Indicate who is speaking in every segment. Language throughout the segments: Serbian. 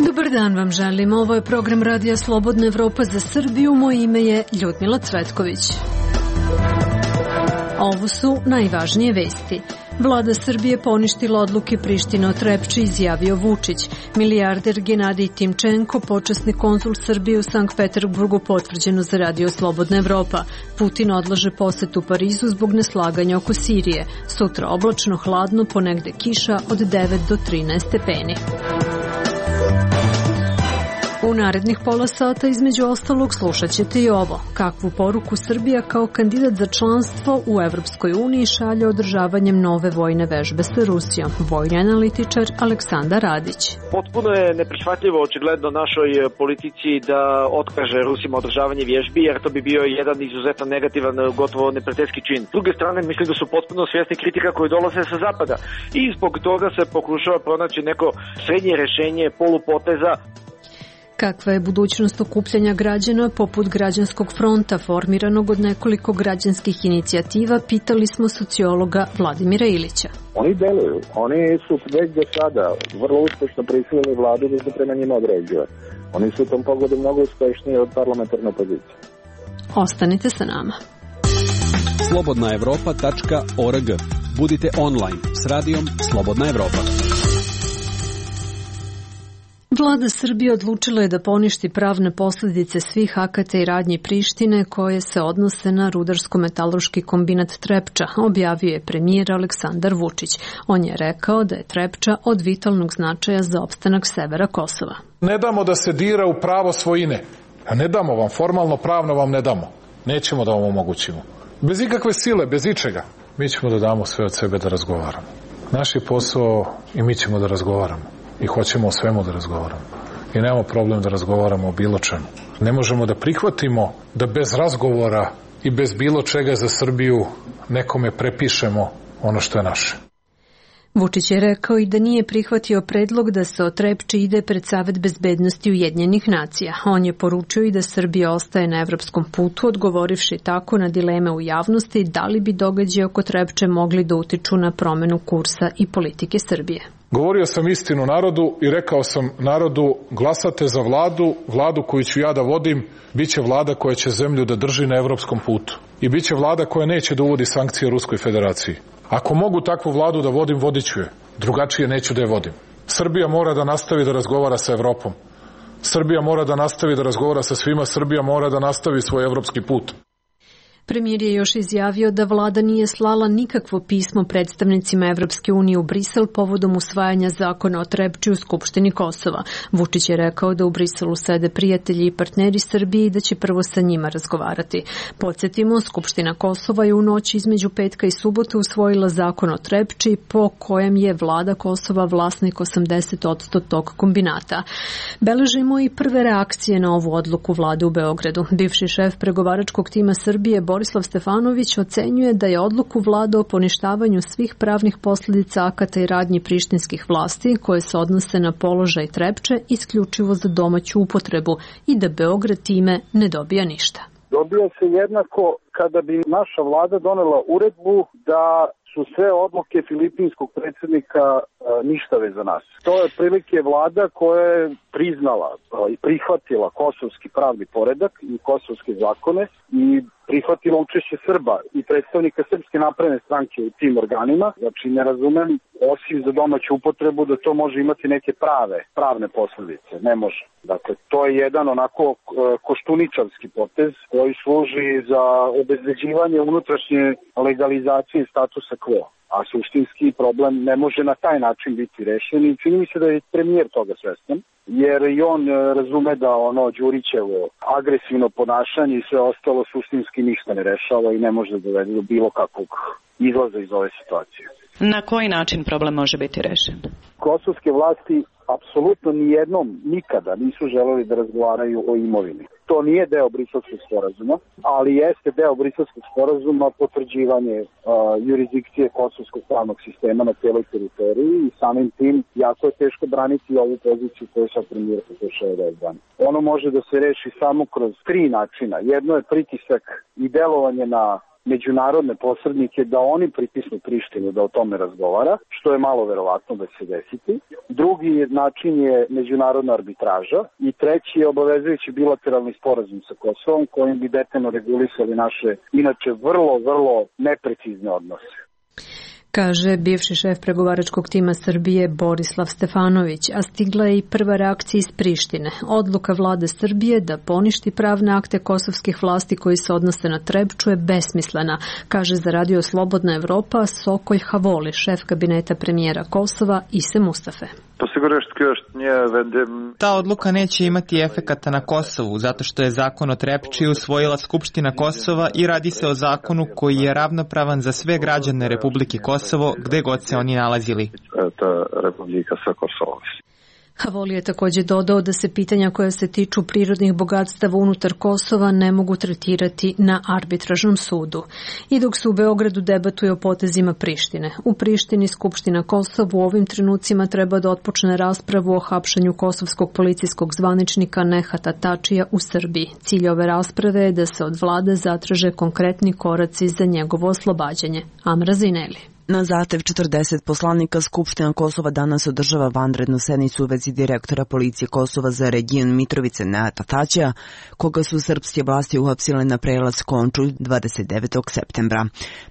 Speaker 1: Dobar dan vam želim. Ovo je program Radija Slobodna Evropa za Srbiju. Moje ime je Ljudmila Cvetković. Ovo su najvažnije vesti. Vlada Srbije poništila odluke Prištine o Trepči, izjavio Vučić. Milijarder Genadij Timčenko, počasni konzul Srbije u Sankt Peterburgu, potvrđeno za Radio Slobodna Evropa. Putin odlaže posetu Parizu zbog neslaganja oko Sirije. Sutra oblačno, hladno, ponegde kiša od 9 do 13 stepeni. U narednih pola sata između ostalog slušat ćete i ovo. Kakvu poruku Srbija kao kandidat za članstvo u Evropskoj uniji šalje održavanjem nove vojne vežbe sa Rusijom. Vojni analitičar Aleksandar Radić.
Speaker 2: Potpuno je neprihvatljivo očigledno našoj politici da otkaže Rusima održavanje vježbi, jer to bi bio jedan izuzetno negativan, gotovo neprijateljski čin. S druge strane, mislim da su potpuno svjesni kritika koje dolaze sa zapada i zbog toga se pokušava pronaći neko srednje rješenje polupoteza.
Speaker 1: Kakva je budućnost okupljanja građana poput Građanskog fronta formiranog od nekoliko građanskih inicijativa, pitali smo sociologa Vladimira Ilića.
Speaker 3: Oni deluju, oni su već do sada vrlo uspješno prisilili vladu da se prema njima određuje. Oni su u tom pogledu mnogo uspješniji od parlamentarne opozicije.
Speaker 1: Ostanite sa nama.
Speaker 4: slobodnaevropa.org. Budite online s radijom Slobodna Evropa.
Speaker 1: Vlada Srbije odlučila je da poništi pravne posljedice svih akata i radnji Prištine koje se odnose na rudarsko-metaloški kombinat Trepča, objavio je premijer Aleksandar Vučić. On je rekao da je Trepča od vitalnog značaja za opstanak severa Kosova.
Speaker 5: Ne damo da se dira u pravo svojine. A ne damo vam, formalno pravno vam ne damo. Nećemo da vam omogućimo. Bez ikakve sile, bez ičega. Mi ćemo da damo sve od sebe da razgovaramo. Naš je posao i mi ćemo da razgovaramo. I hoćemo o svemu da razgovaramo. I nemamo problem da razgovaramo o bilo čemu. Ne možemo da prihvatimo da bez razgovora i bez bilo čega za Srbiju nekome prepišemo ono što je naše.
Speaker 1: Vučić je rekao i da nije prihvatio predlog da se o Trepči ide pred Savet bezbednosti Ujedinjenih nacija. On je poručio i da Srbija ostaje na evropskom putu, odgovorivši tako na dileme u javnosti da li bi događaji oko Trepče mogli da utiču na promenu kursa i politike Srbije.
Speaker 5: Govorio sam istinu narodu i rekao sam narodu, glasate za vladu koju ću ja da vodim, bit će vlada koja će zemlju da drži na evropskom putu. I bit će vlada koja neće da uvodi sankcije Ruskoj federaciji. Ako mogu takvu vladu da vodim, vodit ću je. Drugačije neću da je vodim. Srbija mora da nastavi da razgovara sa Evropom. Srbija mora da nastavi da razgovara sa svima. Srbija mora da nastavi svoj evropski put.
Speaker 1: Premijer je još izjavio da vlada nije slala nikakvo pismo predstavnicima Evropske unije u Brisel povodom usvajanja zakona o Trepči u Skupštini Kosova. Vučić je rekao da u Briselu sede prijatelji i partneri Srbije i da će prvo sa njima razgovarati. Podsjetimo, Skupština Kosova je u noći između petka i subote usvojila zakon o Trepči po kojem je vlada Kosova vlasnik 80% tog kombinata. Beležimo i prve reakcije na ovu odluku vlade u Beogradu. Bivši šef pregovaračkog tima Srbije Borislav Stefanović ocenjuje da je odluku vlade o poništavanju svih pravnih posljedica akata i radnji prištinskih vlasti koje se odnose na položaj Trepče isključivo za domaću upotrebu i da Beograd time ne dobija ništa.
Speaker 3: Dobija se jednako kada bi naša vlada donela uredbu da su sve odluke filipinskog predsjednika ništave za nas. To je prilike vlada koja je priznala i prihvatila kosovski pravni poredak i kosovske zakone i prihvatila učešće Srba i predstavnika Srpske napredne stranke u tim organima. Znači ne razumem, osim za domaću upotrebu, da to može imati neke pravne posljedice. Ne može. Dakle, to je jedan onako koštuničavski potez koji služi za obezbeđivanje unutrašnje legalizacije statusa quo. A suštinski problem ne može na taj način biti rešen i čini mi se da je premijer toga svestan, jer i on razume da ono Đurićevo agresivno ponašanje i sve ostalo suštinski ništa ne rešava i ne može da dovede do bilo kakvog izlaza iz ove situacije.
Speaker 6: Na koji način problem može biti rešen?
Speaker 3: Kosovske vlasti apsolutno nijednom nikada nisu želeli da razgovaraju o imovini. To nije deo Briselskog sporazuma, ali jeste deo Briselskog sporazuma potvrđivanje jurisdikcije kosovskog pravnog sistema na cijeloj teritoriji i samim tim jako je teško braniti ovu poziciju koju sad premijer pokušava da odbrani. Ono može da se reši samo kroz 3 načina. Jedno je pritisak i delovanje na međunarodne posrednike da oni pritisnu Prištinu da o tome razgovara, što je malo verovatno da će se desiti. Drugi način je međunarodna arbitraža i treći je obavezujući bilateralni sporazum sa Kosovom kojim bi detaljno regulisali naše inače vrlo neprecizne odnose.
Speaker 1: Kaže bivši šef pregovaračkog tima Srbije Borislav Stefanović, a stigla je i prva reakcija iz Prištine. Odluka vlade Srbije da poništi pravne akte kosovskih vlasti koji se odnose na Trepču je besmislena, kaže za Radio Slobodna Evropa Sokoj Havoli, šef kabineta premijera Kosova Ise Mustafe.
Speaker 7: Ta odluka neće imati efekata na Kosovu, zato što je zakon o Trepči usvojila Skupština Kosova i radi se o zakonu koji je ravnopravan za sve građane Republike Kosovo, gde god se oni nalazili.
Speaker 1: Havoli je također dodao da se pitanja koja se tiču prirodnih bogatstava unutar Kosova ne mogu tretirati na arbitražnom sudu. I dok se u Beogradu debatuje o potezima Prištine. U Prištini Skupština Kosova u ovim trenucima treba da otpočne raspravu o hapšanju kosovskog policijskog zvaničnika Nehata Tačija u Srbiji. Cilj ove rasprave je da se od vlade zatraže konkretni koraci za njegovo oslobađanje. Amra Zineli.
Speaker 8: Na zahtev 40 poslanika Skupština Kosova danas održava vanrednu sednicu u vezi direktora policije Kosova za region Mitrovice Nehata Tačija, koga su srpske vlasti uhapsile na prelaz Končulj 29. septembra.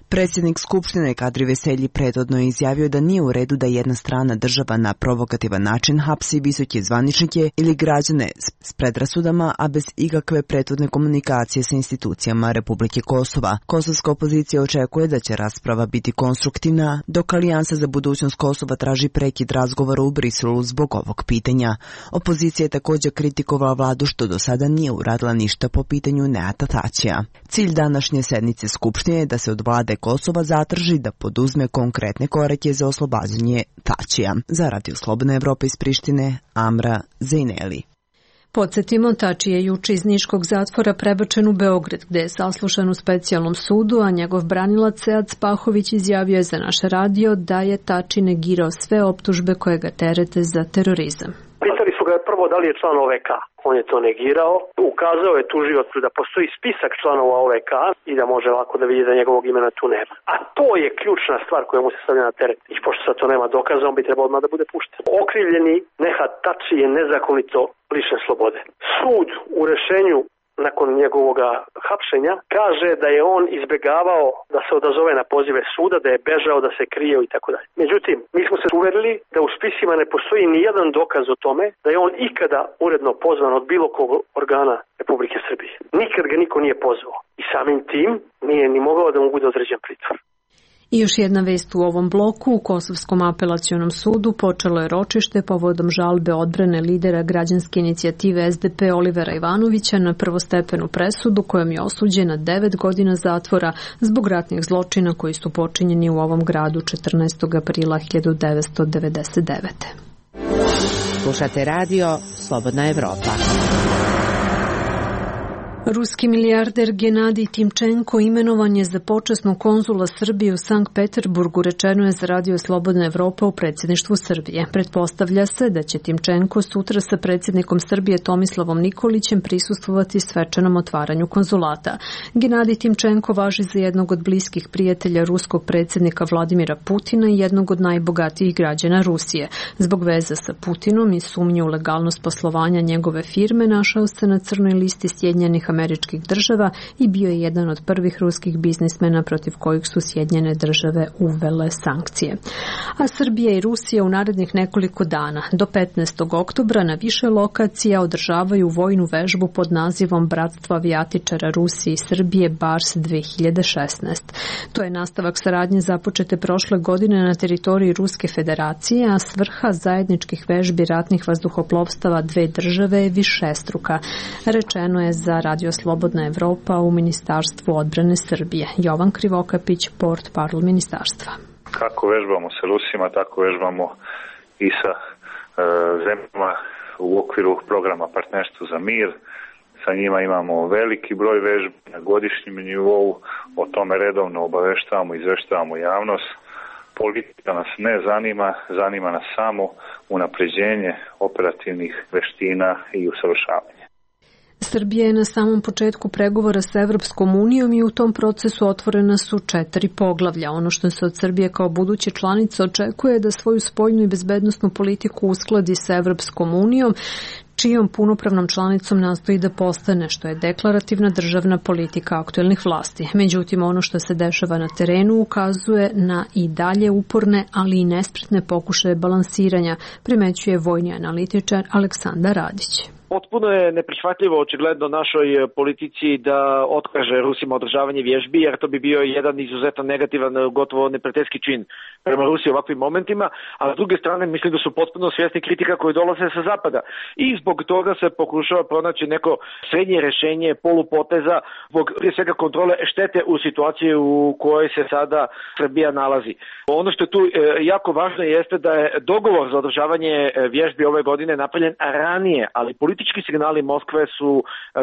Speaker 8: Predsjednik Skupštine Kadri Veselji prethodno je izjavio da nije u redu da jedna strana država na provokativan način hapsi visoke zvaničnike ili građane s predrasudama, a bez ikakve prethodne komunikacije sa institucijama Republike Kosova. Kosovska opozicija očekuje da će rasprava biti konstruktivna, dok Alijansa za budućnost Kosova traži prekid razgovora u Briselu zbog ovog pitanja. Opozicija je također kritikovala vladu što do sada nije uradila ništa po pitanju Nehata Tačija. Cilj današnje sednice Skupštine je da se od vlade Kosova zatraži da poduzme konkretne korake za oslobađanje Tačija. Za Radio Slobodna Evropa iz Prištine, Amra Zineli.
Speaker 1: Podsjetimo, Tači je juče iz niškog zatvora prebačen u Beograd, gde je saslušan u specijalnom sudu, a njegov branilac Sead Spahović izjavio je za naš radio da je Tači negirao sve optužbe koje ga terete za terorizam.
Speaker 9: Pitali su ga prvo da li je član OVK. On je to negirao. Ukazao je tužiocu da postoji spisak članova OVK i da može lako da vidi da njegovog imena tu nema. A to je ključna stvar koja mu se stavlja na teret. I pošto sad to nema dokaza, on bi trebao odmah da bude pušten. Okrivljeni Nehat Tači je nezakonito lišen slobode. Sud u rešenju nakon njegovog hapšenja kaže da je on izbegavao da se odazove na pozive suda, da je bežao, da se krio i tako dalje. Međutim, mi smo se uverili da u spisima ne postoji ni jedan dokaz o tome da je on ikada uredno pozvan od bilo kog organa Republike Srbije. Nikad ga niko nije pozvao i samim tim nije ni mogao da mu bude određen pritvor.
Speaker 1: I još jedna vest u ovom bloku. U Kosovskom apelacionom sudu počelo je ročište povodom žalbe odbrane lidera građanske inicijative SDP Olivera Ivanovića na prvostepenu presudu kojom je osuđen na 9 godina zatvora zbog ratnih zločina koji su počinjeni u ovom gradu 14. aprila 1999.
Speaker 10: Slušate radio Slobodna Evropa.
Speaker 1: Ruski milijarder Genadij Timčenko imenovan je za počasnog konzula Srbije u Sankt Peterburgu, rečeno je za Radio Slobodna Evropa u predsjedništvu Srbije. Pretpostavlja se da će Timčenko sutra sa predsjednikom Srbije Tomislavom Nikolićem prisustvovati svečanom otvaranju konzulata. Genadij Timčenko važi za jednog od bliskih prijatelja ruskog predsjednika Vladimira Putina i jednog od najbogatijih građana Rusije. Zbog veza sa Putinom i sumnje u legalnost poslovanja njegove firme našao se na crnoj listi Sjedinjenih Američkih država i bio je jedan od prvih ruskih biznismena protiv kojih su Sjedinjene države uvele sankcije. A Srbija i Rusija u narednih nekoliko dana do 15. oktobra na više lokacija održavaju vojnu vežbu pod nazivom Bratstvo avijatičara Rusije i Srbije Bars 2016. To je nastavak saradnje započete prošle godine na teritoriji Ruske federacije, a svrha zajedničkih vežbi ratnih vazduhoplovstava dve države je višestruka. Rečeno je za Radio Slobodna Evropa u Ministarstvu odbrane Srbije. Jovan Krivokapić, portparol ministarstva.
Speaker 11: Kako vežbamo sa Rusima, tako vežbamo i sa zemljama u okviru programa Partnerstvo za mir. Sa njima imamo veliki broj vežbi na godišnjem nivou, o tome redovno obaveštavamo, izveštavamo javnost. Politika nas ne zanima, zanima nas samo unapređenje operativnih veština i usavršavanje.
Speaker 1: Srbija je na samom početku pregovora sa Evropskom unijom i u tom procesu otvorena su 4 poglavlja. Ono što se od Srbije kao buduće članice očekuje je da svoju spoljnu i bezbednosnu politiku uskladi sa Evropskom unijom, čijom punopravnom članicom nastoji da postane, što je deklarativna državna politika aktuelnih vlasti. Međutim, ono što se dešava na terenu ukazuje na i dalje uporne, ali i nespretne pokušaje balansiranja, primećuje vojni analitičar Aleksandar Radić.
Speaker 2: Potpuno je neprihvatljivo očigledno našoj politici da otkaže Rusima održavanje vježbi, jer to bi bio jedan izuzetno negativan, gotovo neprijateljski čin prema Rusiji u ovakvim momentima, a s druge strane mislim da su potpuno svjesni kritika koje dolaze sa zapada. I zbog toga se pokušava pronaći neko srednje rješenje, polupoteza, zbog prije svega kontrole štete u situaciji u kojoj se sada Srbija nalazi. Ono što je tu jako važno jeste da je dogovor za održavanje vježbi ove godine napravljen ranije, ali politički signali Moskve su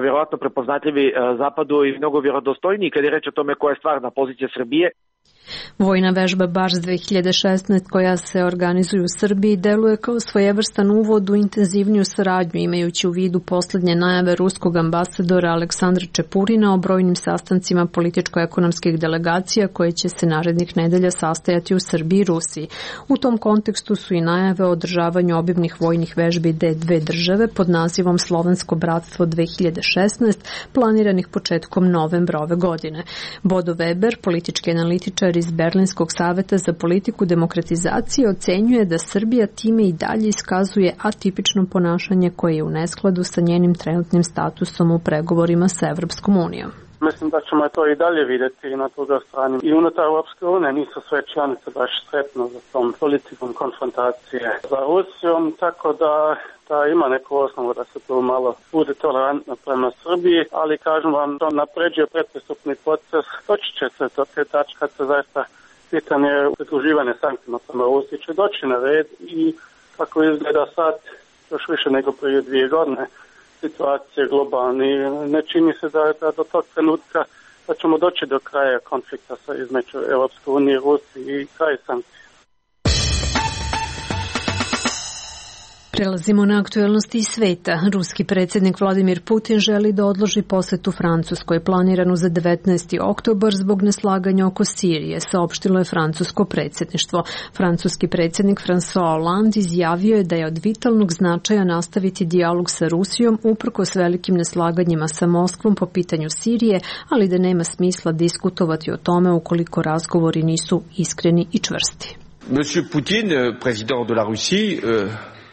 Speaker 2: vjerojatno prepoznatljivi zapadu i mnogo vjerodostojniji kad je reč o tome koja je stvarna pozicija Srbije.
Speaker 1: Vojna vežba Bars 2016 koja se organizuje u Srbiji deluje kao svojevrstan uvod u intenzivniju saradnju, imajući u vidu poslednje najave ruskog ambasadora Aleksandra Čepurina o brojnim sastancima političko-ekonomskih delegacija koje će se narednih nedelja sastajati u Srbiji i Rusiji. U tom kontekstu su i najave o održavanju obimnih vojnih vežbi dve države pod nazivom Slovensko bratstvo 2016, planiranih početkom novembra ove godine. Bodo Weber, politički analitičar iz Berlinskog saveta za politiku demokratizacije, ocenjuje da Srbija time i dalje iskazuje atipično ponašanje koje je u neskladu sa njenim trenutnim statusom u pregovorima sa Evropskom unijom.
Speaker 12: Mislim da ćemo to i dalje vidjeti i na drugoj strani. I unutar Europske unije nisu sve članice baš sretno za tom politikom konfrontacije sa Rusijom, tako da ima neku osnovu da se tu malo bude tolerantno prema Srbiji, ali kažem vam, to napređuje predpristupni proces. Doći će se do te tačke kad se zaista pitanje pridruživanja sankcijama prema Rusiji će doći na red i kako izgleda sad još više nego prije 2 godine situacije globalni. Ne čini se da do tog trenutka da ćemo doći do kraja konflikta između Europske unije i Rusije i kraj sankcija.
Speaker 1: Prelazimo na aktuelnosti iz sveta. Ruski predsjednik Vladimir Putin želi da odloži posetu Francuskoj planiranu za 19. oktobar zbog neslaganja oko Sirije, saopštilo je francusko predsjedništvo. Francuski predsjednik François Hollande izjavio je da je od vitalnog značaja nastaviti dijalog sa Rusijom uprkos velikim neslaganjima sa Moskvom po pitanju Sirije, ali da nema smisla diskutovati o tome ukoliko razgovori nisu iskreni i čvrsti.
Speaker 13: Monsieur Poutine, président de la Russie,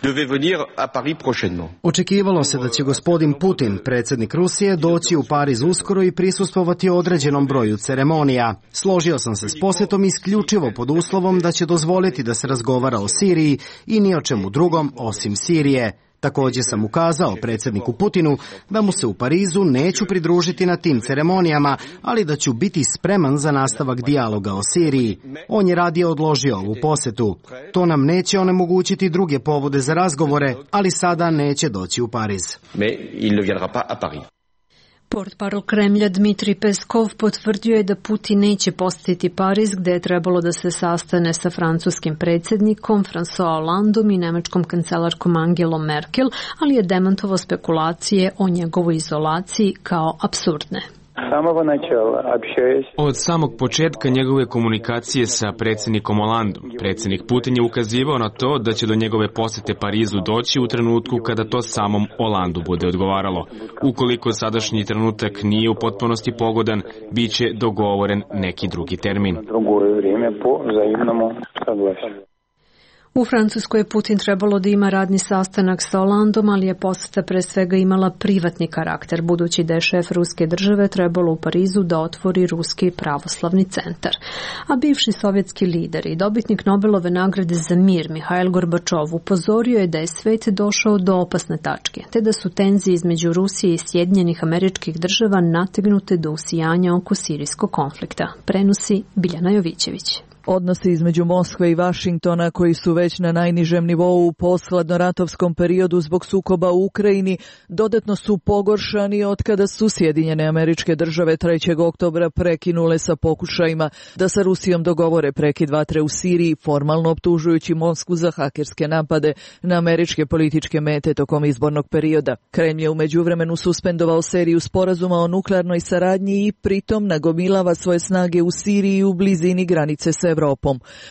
Speaker 13: devait venir à Paris prochainement.
Speaker 14: Očekivalo se da će gospodin Putin, predsjednik Rusije, doći u Pariz uskoro i prisustvovati određenom broju ceremonija. Složio sam se s posjetom isključivo pod uslovom da će dozvoliti da se razgovara o Siriji i ni o čemu drugom osim Sirije. Također sam ukazao predsjedniku Putinu da mu se u Parizu neću pridružiti na tim ceremonijama, ali da ću biti spreman za nastavak dijaloga o Siriji. On je radije odložio ovu posjetu. To nam neće onemogućiti druge povode za razgovore, ali sada neće doći u Pariz.
Speaker 13: Mais il ne viendra pas à Paris.
Speaker 1: Portparol Kremlja Dmitrij Peskov potvrdio je da Putin neće posjetiti Pariz, gde je trebalo da se sastane sa francuskim predsjednikom François Hollandom i nemačkom kancelarkom Angelom Merkel, ali je demantovao spekulacije o njegovoj izolaciji kao apsurdne.
Speaker 15: Od samog početka njegove komunikacije sa predsjednikom Hollandom, predsjednik Putin je ukazivao na to da će do njegove posjete Parizu doći u trenutku kada to samom Hollandu bude odgovaralo. Ukoliko sadašnji trenutak nije u potpunosti pogodan, bit će dogovoren neki drugi termin.
Speaker 1: U Francuskoj je Putin trebalo da ima radni sastanak sa Hollandom, ali je posjeta pre svega imala privatni karakter, budući da je šef ruske države trebalo u Parizu da otvori Ruski pravoslavni centar. A bivši sovjetski lider i dobitnik Nobelove nagrade za mir Mihail Gorbačov upozorio je da je svet došao do opasne tačke, te da su tenzije između Rusije i Sjedinjenih Američkih Država nategnute do usijanja oko sirijskog konflikta. Prenosi Biljana Jovićević.
Speaker 16: Odnosi između Moskve i Vašingtona, koji su već na najnižem nivou u posthladnoratovskom periodu zbog sukoba u Ukrajini, dodatno su pogoršani od kada su Sjedinjene Američke Države 3. oktobra prekinule sa pokušajima da sa Rusijom dogovore prekid vatre u Siriji, formalno optužujući Moskvu za hakerske napade na američke političke mete tokom izbornog perioda. Kremlj je u međuvremenu suspendovao seriju sporazuma o nuklearnoj saradnji i pritom nagomilava svoje snage u Siriji u blizini granice s Evropom.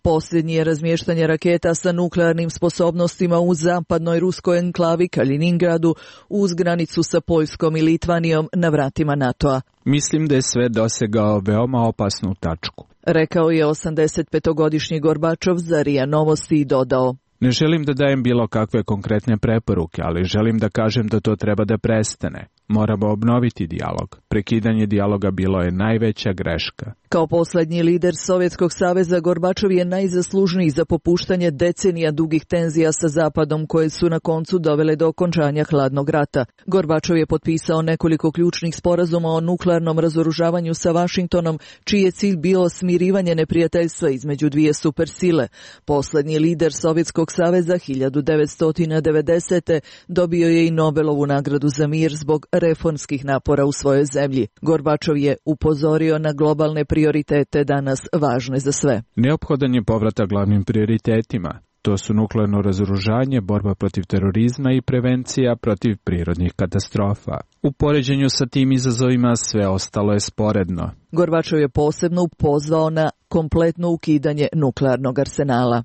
Speaker 16: Posljednji je razmještanje raketa sa nuklearnim sposobnostima u zapadnoj ruskoj enklavi Kaliningradu uz granicu sa Poljskom i Litvanijom na vratima NATO-a.
Speaker 17: Mislim da je sve dosegao veoma opasnu tačku,
Speaker 16: rekao je 85-godišnji Gorbačov za RIA Novosti i dodao:
Speaker 17: Ne želim da dajem bilo kakve konkretne preporuke, ali želim da kažem da to treba da prestane. Moramo obnoviti dijalog. Prekidanje dijaloga bilo je najveća greška.
Speaker 16: Kao poslednji lider Sovjetskog saveza, Gorbačov je najzaslužniji za popuštanje decenija dugih tenzija sa Zapadom, koje su na koncu dovele do okončanja hladnog rata. Gorbačov je potpisao nekoliko ključnih sporazuma o nuklearnom razoružavanju sa Vašingtonom, čiji je cilj bio smirivanje neprijateljstva između dvije supersile. Poslednji lider Sovjetskog saveza 1990. dobio je i Nobelovu nagradu za mir zbog reformskih napora u svojoj zemlji. Gorbačov je upozorio na globalne prioritete danas važne za sve.
Speaker 17: Neophodan je povratak glavnim prioritetima. To su nuklearno razoružanje, borba protiv terorizma i prevencija protiv prirodnih katastrofa. U poređenju sa tim izazovima sve ostalo je sporedno.
Speaker 16: Gorbačov je posebno pozvao na kompletno ukidanje nuklearnog arsenala.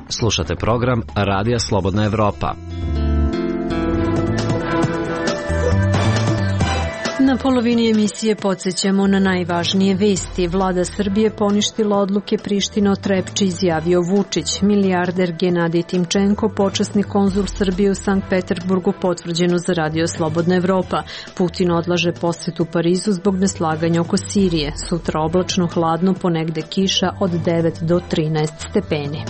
Speaker 18: Slušate program Radija Slobodna Evropa.
Speaker 1: Na polovini emisije podsjećamo na najvažnije vesti. Vlada Srbije poništila odluke Prištine o Trepči, izjavio Vučić. Milijarder Genadij Timčenko, počasni konzul Srbije u Sankt Peterburgu, potvrđeno za Radio Slobodna Evropa. Putin odlaže posetu Parizu zbog neslaganja oko Sirije. Sutra oblačno, hladno, ponegde kiša od 9 do 13 stepeni.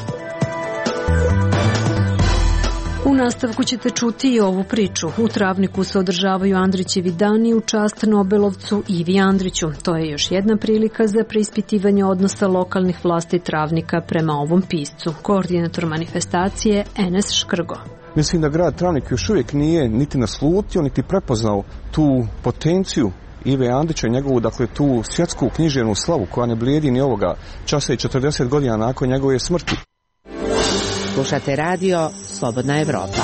Speaker 1: U nastavku ćete čuti i ovu priču. U Travniku se održavaju Andrićevi dani u čast Nobelovcu Ivi Andriću. To je još jedna prilika za preispitivanje odnosa lokalnih vlasti Travnika prema ovom piscu. Koordinator manifestacije Enes Škrgo.
Speaker 19: Mislim da grad Travnik još uvijek nije niti naslutio, niti prepoznao tu potenciju Ive Andrića i njegovu, dakle, tu svjetsku književnu slavu koja ne blijedi ni ovoga časa i 40 godina nakon njegove smrti.
Speaker 10: Slušate radio Slobodna Evropa.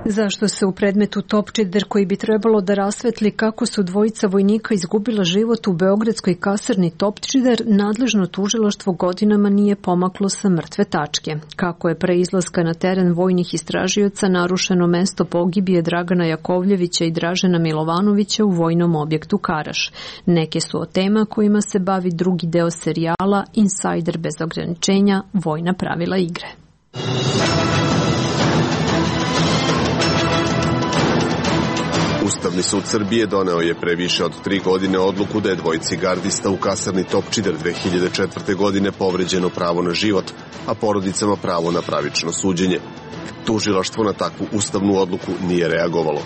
Speaker 1: Zašto se u predmetu Topčider, koji bi trebalo da rasvetli kako su dvojica vojnika izgubila život u beogradskoj kasarni Topčider, nadležno tužilaštvo godinama nije pomaklo sa mrtve tačke. Kako je pre izlaska na teren vojnih istražioca narušeno mesto pogibije Dragana Jakovljevića i Dražena Milovanovića u vojnom objektu Karaš. Neke su od tema kojima se bavi drugi deo serijala Insajder bez ograničenja, vojna pravila igre.
Speaker 20: Ustavni sud Srbije doneo je pre više od 3 godine odluku da je dvojici gardista u kasarni Topčider 2004. godine povređeno pravo na život, a porodicama pravo na pravično suđenje. Tužilaštvo na takvu ustavnu odluku nije reagovalo.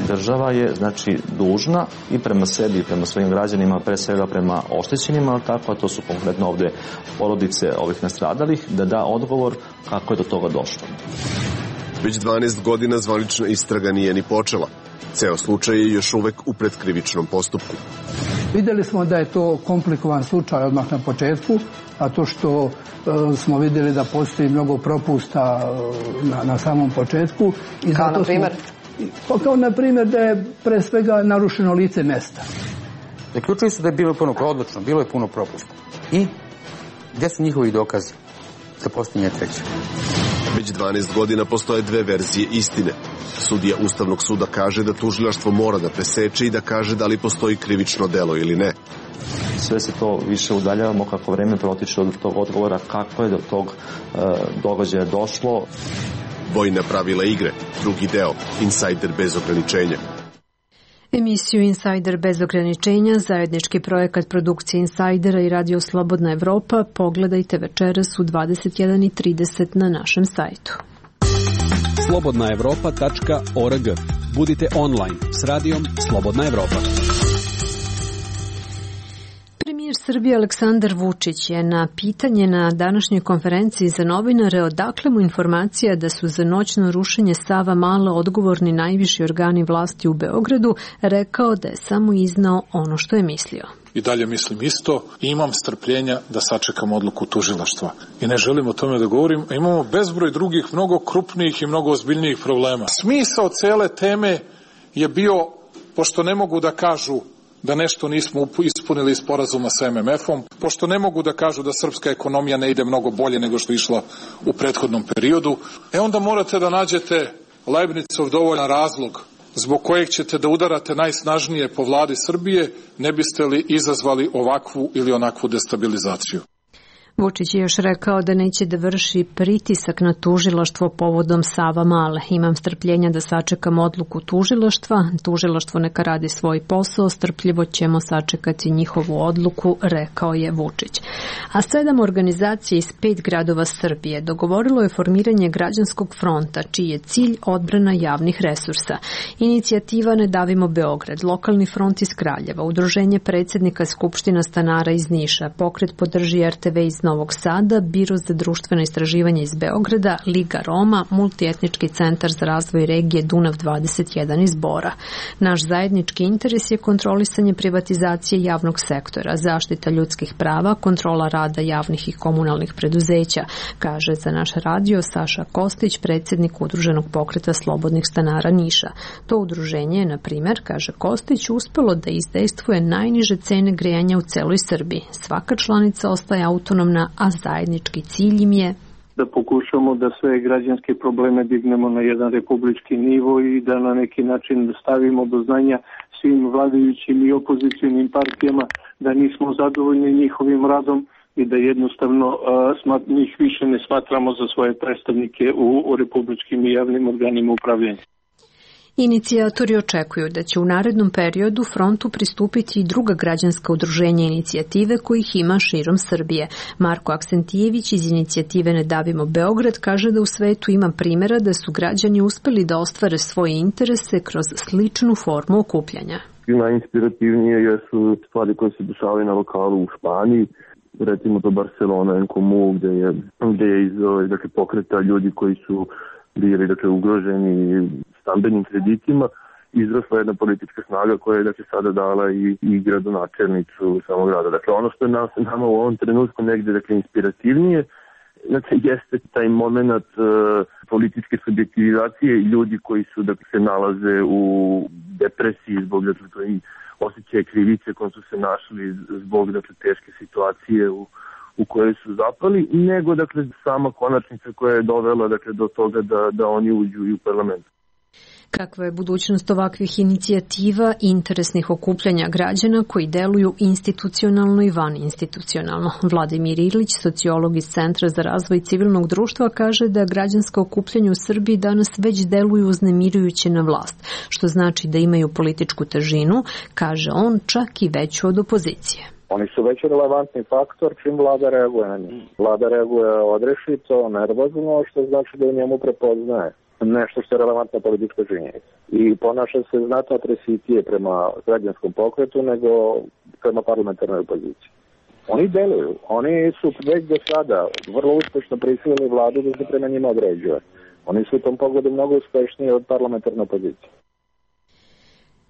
Speaker 21: Država je, znači, dužna i prema sebi i prema svojim građanima, pre svega prema oštećenima, ali tako, a to su konkretno ovde porodice ovih nastradalih, da da odgovor kako je do toga došlo.
Speaker 20: Već 12 godina zvanična istraga nije ni počela. Ceo slučaj je još uvek u predkrivičnom postupku.
Speaker 22: Videli smo da je to komplikovan slučaj odmah na početku, a to što smo vidjeli da postoji mnogo propusta na samom početku. I
Speaker 23: kao na primjer?
Speaker 22: Kao na primjer da je pre svega narušeno lice mesta.
Speaker 23: Zaključili su da je bilo puno odlično, bilo je puno propusta. I gdje su njihovi dokazi za postojanje treće?
Speaker 20: Već 12 godina postoje dve verzije istine. Sudija Ustavnog suda kaže da tužilaštvo mora da preseče i da kaže da li postoji krivično delo ili ne.
Speaker 21: Sve se to više udaljavamo kako vreme protiče od tog odgovora kako je do tog događaja došlo.
Speaker 20: Vojna pravila igre, drugi deo, Insajder bez ograničenja.
Speaker 1: Emisiju Insajder bez ograničenja, zajednički projekat produkcije Insajdera i Radio Slobodna Evropa, pogledajte večeras u 21:30 na našem sajtu.
Speaker 4: slobodnaevropa.org. Budite online s radijom Slobodna Evropa.
Speaker 1: Srbije Aleksandar Vučić je na pitanje na današnjoj konferenciji za novinare odakle mu informacija da su za noćno rušenje Savamale odgovorni najviši organi vlasti u Beogradu rekao da je samo iznao ono što je mislio.
Speaker 3: I dalje mislim isto i imam strpljenja da sačekam odluku tužilaštva. I ne želim o tome da govorim, a imamo bezbroj drugih, mnogo krupnijih i mnogo ozbiljnijih problema. Smisao cele teme je bio, pošto ne mogu da kažu da nešto nismo ispunili sporazuma sa MMF-om, pošto ne mogu da kažu da srpska ekonomija ne ide mnogo bolje nego što je išla u prethodnom periodu, onda morate da nađete Leibnicov dovoljan razlog zbog kojeg ćete da udarate najsnažnije po vladi Srbije, ne biste li izazvali ovakvu ili onakvu destabilizaciju.
Speaker 1: Vučić je još rekao da neće da vrši pritisak na tužilaštvo povodom Savamale. Imam strpljenja da sačekam odluku tužilaštva. Tužilaštvo neka radi svoj posao, strpljivo ćemo sačekati njihovu odluku, rekao je Vučić. A 7 organizacija iz 5 gradova Srbije dogovorilo je formiranje građanskog fronta, čiji je cilj odbrana javnih resursa. Inicijativa Ne davimo Beograd, Lokalni front iz Kraljeva, Udruženje predsjednika Skupština stanara iz Niša, Pokret podrži RTV iz Novog Sada, Biro za društveno istraživanje iz Beograda, Liga Roma, Multietnički centar za razvoj regije Dunav 21 iz Bora. Naš zajednički interes je kontrolisanje privatizacije javnog sektora, zaštita ljudskih prava, kontrola rada javnih i komunalnih preduzeća, kaže za naš radio Saša Kostić, predsjednik Udruženog pokreta slobodnih stanara Niša. To udruženje je, na primjer, kaže Kostić, uspelo da izdejstvuje najniže cene grejanja u celoj Srbiji. Svaka članica ostaje autonomna, a zajednički cilj im je
Speaker 12: da pokušamo da sve građanske probleme dignemo na jedan republički nivo i da na neki način stavimo do znanja svim vladajućim i opozicionim partijama da nismo zadovoljni njihovim radom i da jednostavno njih više ne smatramo za svoje predstavnike u republičkim i javnim organima upravljanja.
Speaker 1: Inicijatori očekuju da će u narednom periodu frontu pristupiti i druga građanska udruženja inicijative kojih ima širom Srbije. Marko Aksentijević iz inicijative Ne davimo Beograd kaže da u svetu ima primjera da su građani uspeli da ostvare svoje interese kroz sličnu formu okupljanja.
Speaker 5: Najinspirativnije jesu stvari koje se dešavaju na lokalu u Španiji, recimo to Barcelona en Comú, gde je iz pokreta ljudi koji su bili ugroženi stambenim kreditima, izrasla jedna politička snaga koja je sada dala i gradonačelnicu samog grada. Dakle, ono što je nama u ovom trenutku negde inspirativnije, jeste taj moment političke subjektivizacije i ljudi koji su se nalaze u depresiji zbog osjećaja krivice kojom su se našli zbog teške situacije u kojoj su zapali, nego sama konačnica koja je dovela do toga da oni uđu i u parlament.
Speaker 1: Kakva je budućnost ovakvih inicijativa i interesnih okupljanja građana koji deluju institucionalno i vaninstitucionalno? Vladimir Ilić, sociolog iz Centra za razvoj civilnog društva, kaže da građanska okupljanja u Srbiji danas već deluju uznemirujuće na vlast, što znači da imaju političku težinu, kaže on, čak i veću od opozicije.
Speaker 6: Oni su već relevantni faktor čim vlada reaguje na njih. Vlada reaguje odrešito, nervozno, što znači da u njemu prepoznaje nešto što je relevantna politička činjenica. I ponaša se znatno atresitije prema građanskom pokretu nego prema parlamentarnoj opoziciji. Oni deluju. Oni su već do sada vrlo uspešno prisilili vladu da se prema njima određuje. Oni su u tom pogledu mnogo uspešniji od parlamentarne opozicije.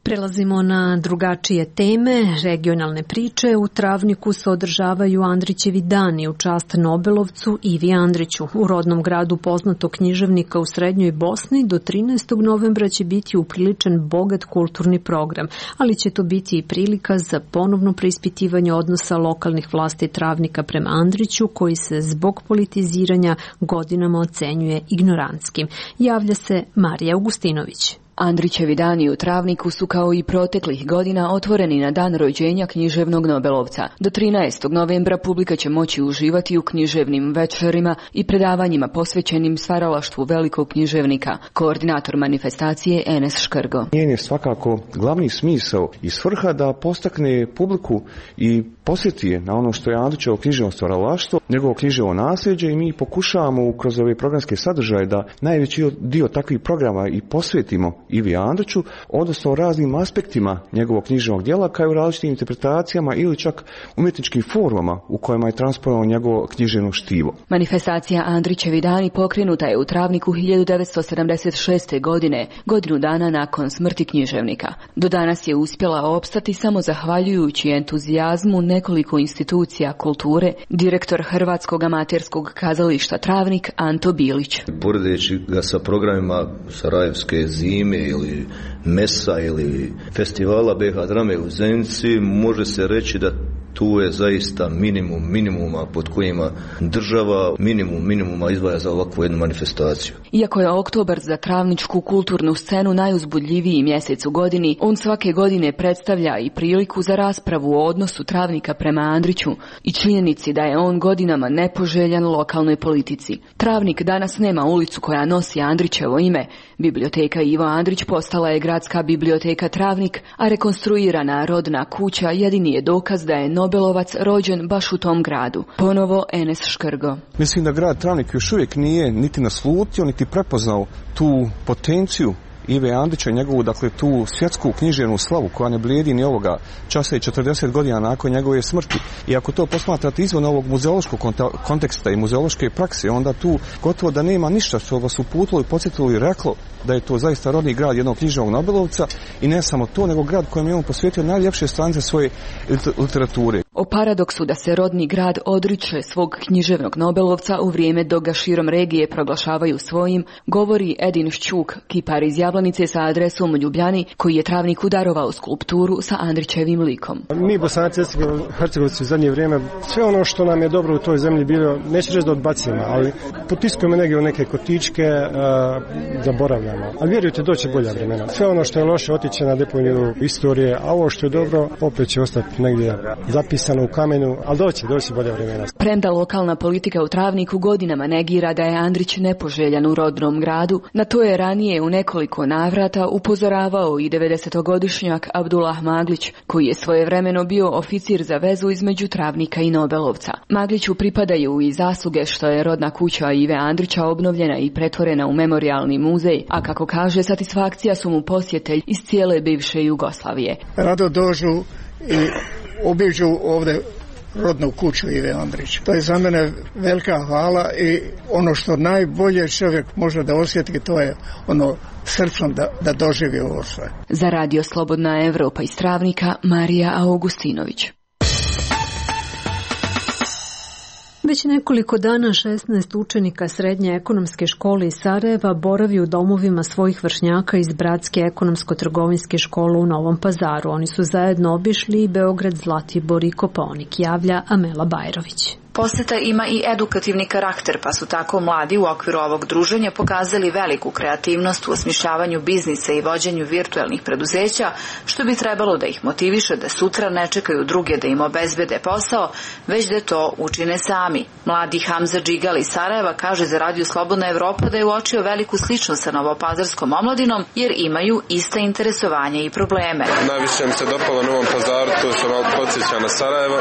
Speaker 1: Prelazimo na drugačije teme, regionalne priče. U Travniku se održavaju Andrićevi dani u čast Nobelovcu Ivi Andriću. U rodnom gradu poznatog književnika u Srednjoj Bosni do 13. novembra će biti upriličen bogat kulturni program, ali će to biti i prilika za ponovno preispitivanje odnosa lokalnih vlasti Travnika prema Andriću, koji se zbog politiziranja godinama ocenjuje ignorantskim. Javlja se Marija Augustinović.
Speaker 24: Andrićevi dani u Travniku su kao i proteklih godina otvoreni na dan rođenja književnog Nobelovca. Do 13. novembra publika će moći uživati u književnim večerima i predavanjima posvećenim stvaralaštvu velikog književnika. Koordinator manifestacije Enes Škrgo.
Speaker 19: Njen je svakako glavni smisao i svrha da postakne publiku i posjeti je na ono što je Andrićevo književno stvaralaštvo, njegovo književno nasljeđe, i mi pokušavamo kroz ove programske sadržaje da najveći dio takvih programa i posvetimo Ivi Andriću, odnosno o raznim aspektima njegovog književnog djela, kao i u različitim interpretacijama ili čak umjetničkim formama u kojima je transponovao njegovo književno štivo.
Speaker 24: Manifestacija Andrićevi dani pokrenuta je u Travniku 1976. godine, godinu dana nakon smrti književnika. Do danas je uspjela opstati samo zahvaljujući entuzijazmu nekoliko institucija kulture, direktor Hrvatskog amaterskog kazališta Travnik Anto Bilić.
Speaker 7: Poredeći ga sa programima Sarajevske zime ili Mesa ili festivala BH drame u Zenici, može se reći da tu je zaista minimuma pod kojima država minimuma izdvaja za ovakvu jednu manifestaciju.
Speaker 24: Iako je oktobar za travničku kulturnu scenu najuzbudljiviji mjesec u godini, on svake godine predstavlja i priliku za raspravu o odnosu Travnika prema Andriću i činjenici da je on godinama nepoželjan lokalnoj politici. Travnik danas nema ulicu koja nosi Andrićevo ime. Biblioteka Ivo Andrić postala je gradska biblioteka Travnik, a rekonstruirana rodna kuća jedini je dokaz da je Nobelovac rođen baš u tom gradu. Ponovo Enes Škrgo.
Speaker 19: Mislim da grad Travnik još uvijek nije niti naslutio, niti prepoznao tu potenciju Ive Andrića, njegovu, dakle, tu svjetsku književnu slavu koja ne blijedi ni ovoga časa i 40 godina nakon njegove smrti. I ako to posmatrate izvan ovog muzeološkog konteksta i muzeološke prakse, onda tu gotovo da nema ništa što vas uputilo i podsjetilo i reklo da je to zaista rodni grad jednog književnog Nobelovca i ne samo to, nego grad kojem je on posvetio najljepše stranice svoje literature.
Speaker 24: O paradoksu da se rodni grad odriče svog književnog Nobelovca u vrijeme dok ga širom regije proglašavaju svojim, govori Edin Šćuk, kipar iz Jablanice sa adresom u Ljubljani, koji je Travniku darovao skulpturu sa Andrićevim likom.
Speaker 8: Mi Bosanci, Hercegovci u zadnje vrijeme, sve ono što nam je dobro u toj zemlji bilo, neću reći da odbacimo, ali potiskujemo negdje u neke kotičke, zaboravljamo. Ali vjerujte, doće bolja vremena. Sve ono što je loše otiće na deponiju istorije, a ovo što je dobro opet će ostati negdje zapisano u kamenu, ali doće bolja vremena.
Speaker 24: Premda lokalna politika u Travniku godinama negira da je Andrić nepoželjan u rodnom gradu, na to je ranije u nekoliko navrata upozoravao i 90-godišnjak Abdullah Maglić, koji je svojevremeno bio oficir za vezu između Travnika i Nobelovca. Magliću pripadaju i zasluge što je rodna kuća Ive Andrića obnovljena i pretvorena u memorijalni muzej, a kako kaže, satisfakcija su mu posjetelj iz cijele bivše Jugoslavije.
Speaker 9: Rado dođu i obiđu ovdje rodnu kuću Ive Andrića. To je za mene velika hvala i ono što najbolje čovjek može da osjeti, to je ono srcom da doživi ovo sve.
Speaker 24: Za Radio Slobodna Evropa iz Travnika, Marija Augustinović.
Speaker 1: Već nekoliko dana 16 učenika Srednje ekonomske škole iz Sarajeva boravi u domovima svojih vršnjaka iz Bratske ekonomsko-trgovinske škole u Novom Pazaru. Oni su zajedno obišli i Beograd, Zlatibor i Kopaonik, javlja Amela Bajrović.
Speaker 11: Poseta ima i edukativni karakter, pa su tako mladi u okviru ovog druženja pokazali veliku kreativnost u osmišljavanju biznisa i vođenju virtuelnih preduzeća, što bi trebalo da ih motiviše da sutra ne čekaju druge da im obezbede posao, već da to učine sami. Mladi Hamza Džigal iz Sarajeva kaže za Radio Slobodna Evropa da je uočio veliku sličnost sa novopazarskom omladinom, jer imaju ista interesovanja i probleme.
Speaker 25: Najviše mi se dopalo Novom Pazaru, to se malo podsjeća na Sarajevo.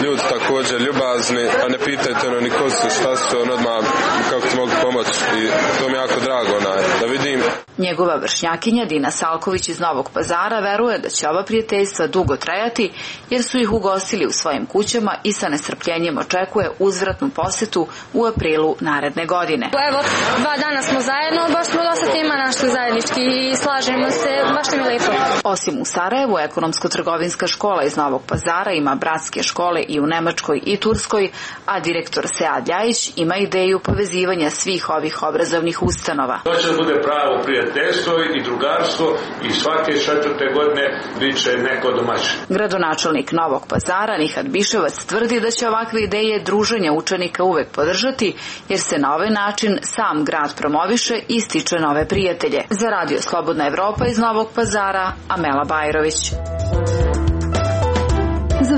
Speaker 25: Ljudi također ljubazni, a ne pitajte ni ko su, šta su, odmah kako ti mogu pomoći i to mi je jako drago da vidim.
Speaker 11: Njegova vršnjakinja Dina Salković iz Novog Pazara veruje da će ova prijateljstva dugo trajati, jer su ih ugostili u svojim kućama i sa nestrpljenjem očekuje uzvratnu posjetu u aprilu naredne godine.
Speaker 26: Evo, 2 dana smo zajedno, baš smo dosta tema našli zajednički i slažemo se, baš nam je lepo.
Speaker 11: Osim u Sarajevu, ekonomsko-trgovinska škola iz Novog Pazara ima bratske škole i u Nemačkoj i Turskoj, a direktor Sead Ljajić ima ideju povezivanja svih ovih obrazovnih ustanova.
Speaker 27: To će bude pravo prijateljstvo i drugarstvo i svake 4. godine bit će neko domaćin.
Speaker 11: Gradonačelnik Novog Pazara Nihat Biševac tvrdi da će ovakve ideje druženja učenika uvek podržati, jer se na ovaj način sam grad promoviše i stiče nove prijatelje. Za Radio Slobodna Evropa iz Novog Pazara, Amela Bajrović.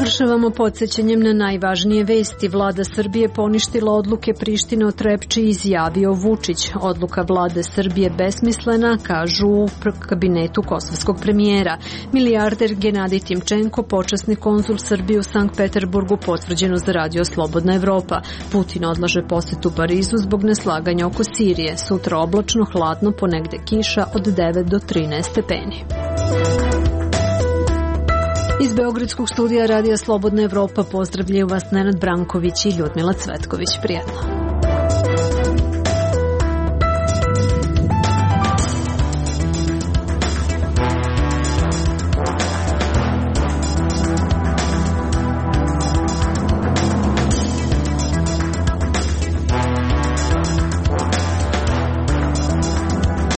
Speaker 1: Završavamo podsjećanjem na najvažnije vesti. Vlada Srbije poništila odluke Prištine o Trepči, izjavio Vučić. Odluka vlade Srbije besmislena, kažu u kabinetu kosovskog premijera. Milijarder Genadij Timčenko, počasni konzul Srbije u Sankt Peterburgu, potvrđeno za Radio Slobodna Evropa. Putin odlaže posetu Parizu zbog neslaganja oko Sirije. Sutra oblačno, hladno, ponegde kiša od 9 do 13 stepeni. Iz Beogradskog studija Radija Slobodna Evropa pozdravljaju vas Nenad Branković i Ljudmila Cvetković. Prijatno.